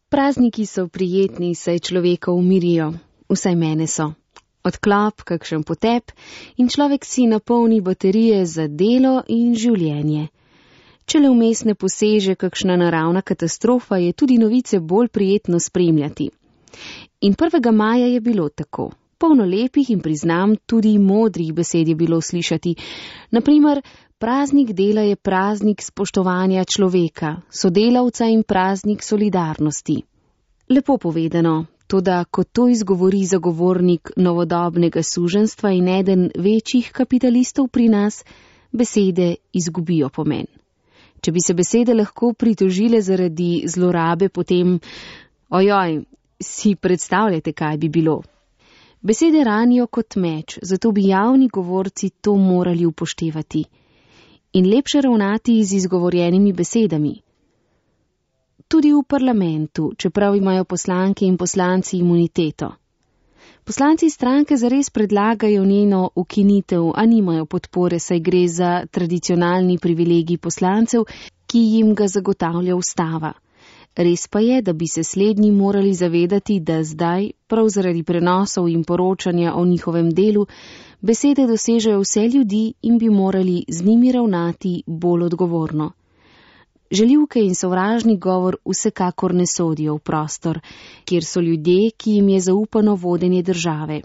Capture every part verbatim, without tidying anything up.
Prazniki so prijetni, saj človeka umirijo, vsaj mene so. Odklop, kakšen potep in človek si napolni baterije za delo in življenje. Če le vmes ne poseže kakšna naravna katastrofa, je tudi novice bolj prijetno spremljati. In prvega maja je bilo tako. Polno lepih in priznam tudi modrih besed je bilo slišati. Naprimer, praznik dela je praznik spoštovanja človeka, sodelavca in praznik solidarnosti. Lepo povedano, toda ko to izgovori zagovornik novodobnega suženjstva in eden večjih kapitalistov pri nas, besede izgubijo pomen. Če bi se besede lahko pritožile zaradi zlorabe, potem, ojoj, si predstavljate, kaj bi bilo. Besede ranijo kot meč, zato bi javni govorci to morali upoštevati. In lepše ravnati z izgovorjenimi besedami. Tudi v parlamentu, čeprav imajo poslanke in poslanci imuniteto. Poslanci stranke zares predlagajo njeno ukinitev, a nimajo podpore, saj gre za tradicionalni privilegij poslancev, ki jim ga zagotavlja ustava. Res pa je, da bi se slednji morali zavedati, da zdaj, prav zaradi prenosov in poročanja o njihovem delu, besede dosežejo vse ljudi in bi morali z njimi ravnati bolj odgovorno. Žaljivke in sovražni govor vsekakor ne sodijo v prostor, kjer so ljudje, ki jim je zaupano vodenje države.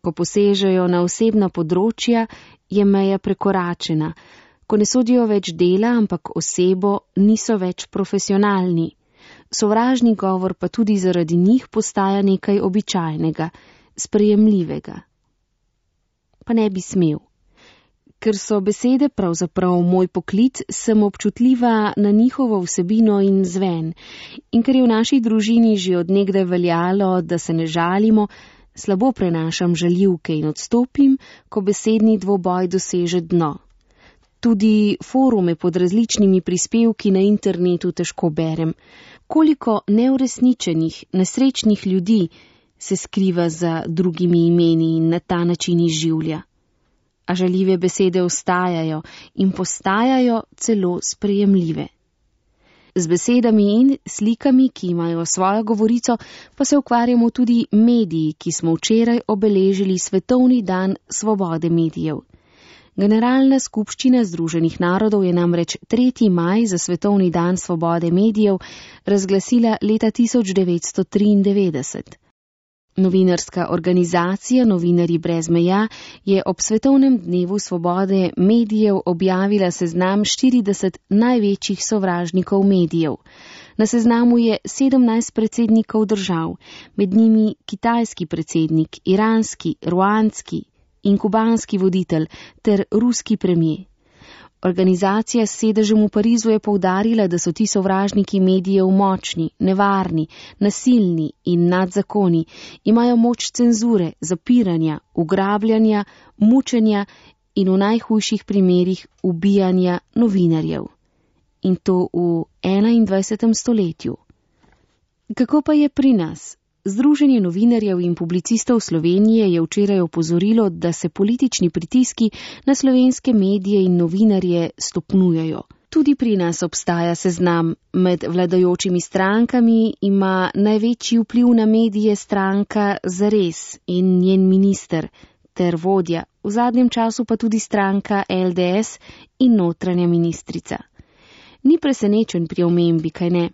Ko posežejo na osebna področja, je meja prekoračena. Ko ne sodijo več dela, ampak osebo, niso več profesionalni. Sovražni govor pa tudi zaradi njih postaja nekaj običajnega, sprejemljivega. Pa ne bi smel. Ker so besede pravzaprav moj poklic, sem občutljiva na njihovo vsebino in zven. In ker je v naši družini že od nekdaj veljalo, da se ne žalimo, slabo prenašam žaljivke in odstopim, ko besedni dvoboj doseže dno. Tudi forume pod različnimi prispevki na internetu težko berem. Koliko neuresničenih, nesrečnih ljudi se skriva za drugimi imeni in na ta način izživlja. A žaljive besede ostajajo in postajajo celo sprejemljive. Z besedami in slikami, ki imajo svojo govorico, pa se ukvarjamo tudi mediji, ki smo včeraj obeležili Svetovni dan svobode medijev. Generalna skupščina Združenih narodov je namreč tretji maj za Svetovni dan svobode medijev razglasila leta tisoč devetsto triindevetdeset. Novinarska organizacija Novinarji brez meja je ob Svetovnem dnevu svobode medijev objavila seznam štirideset največjih sovražnikov medijev. Na seznamu je sedemnajst predsednikov držav, med njimi kitajski predsednik, iranski, ruandski in kubanski voditelj ter ruski premijer. Organizacija s sedežem v Parizu je poudarila, da so ti sovražniki medijev močni, nevarni, nasilni in nadzakoni, imajo moč cenzure, zapiranja, ugrabljanja, mučenja in v najhujših primerih ubijanja novinarjev. In to v enaindvajsetem stoletju. Kako pa je pri nas? Združenje novinarjev in publicistov Slovenije je včeraj opozorilo, da se politični pritiski na slovenske medije in novinarje stopnjujejo. Tudi pri nas obstaja seznam. Med vladajočimi strankami ima največji vpliv na medije stranka Zares in njen minister ter vodja, v zadnjem času pa tudi stranka L D S in notranja ministrica. Ni presenečen pri omembi, kaj ne?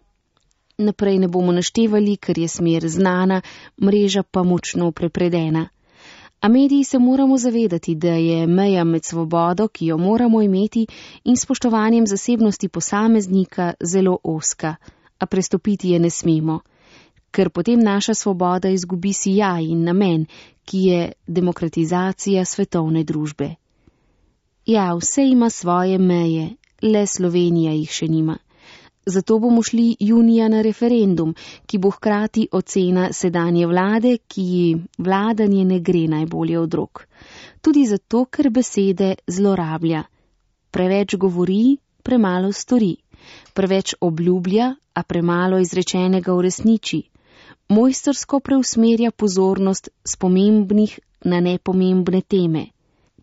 Naprej ne bomo naštevali, ker je smer znana, mreža pa močno prepredena. A mediji se moramo zavedati, da je meja med svobodo, ki jo moramo imeti, in spoštovanjem zasebnosti posameznika zelo ozka, a prestopiti je ne smemo, ker potem naša svoboda izgubi sijaj in namen, ki je demokratizacija svetovne družbe. Ja, vse ima svoje meje, le Slovenija jih še nima. Zato bomo šli junija na referendum, ki bo hkrati ocena sedanje vlade, ki ji vladanje ne gre najbolje od rok. Tudi zato, ker besede zlorablja. Preveč govori, premalo stori. Preveč obljublja, a premalo izrečenega uresniči. Mojstrsko preusmerja pozornost s pomembnih na nepomembne teme.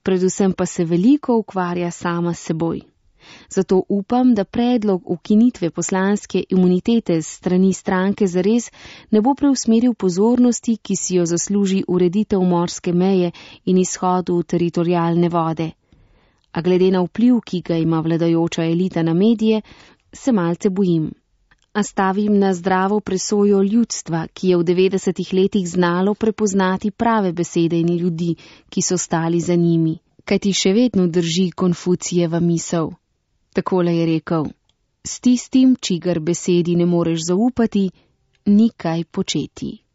Predvsem pa se veliko ukvarja sama s seboj. Zato upam, da predlog ukinitve poslanske imunitete s strani stranke Zares ne bo preusmeril pozornosti, ki si jo zasluži ureditev morske meje in izhodu v teritorialne vode. A glede na vpliv, ki ga ima vladajoča elita na medije, se malce bojim. A stavim na zdravo presojo ljudstva, ki je v devetdesetih letih znalo prepoznati prave besede in ljudi, ki so stali za njimi, kajti še vedno drži Konfucijeva misel. Takole je rekel: s tistim, čigar besedi ne moreš zaupati, ni kaj početi.